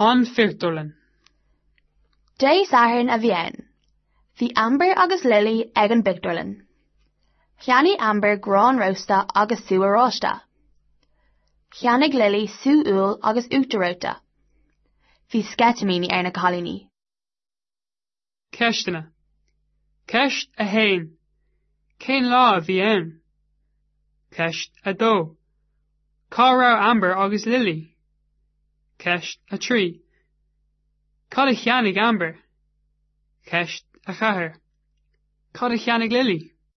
An Phictiúrlann. Dé Sathairn a bhí ann. Bhí Amber agus Lily ag an bpictiúrlann. Cheannaigh Amber grán rósta agus sú oráiste. Cheannaigh Lily sú úll agus uachtar reoite. Bhí sceitimíní ar na cailíní. Ceisteanna. Ceist 1. Cén lá a bhí ann? Ceist 2. Cá raibh Amber agus Lily? Ceist 3. Cad a cheannaigh Amber? Ceist 4. Cad a cheannaigh Lily?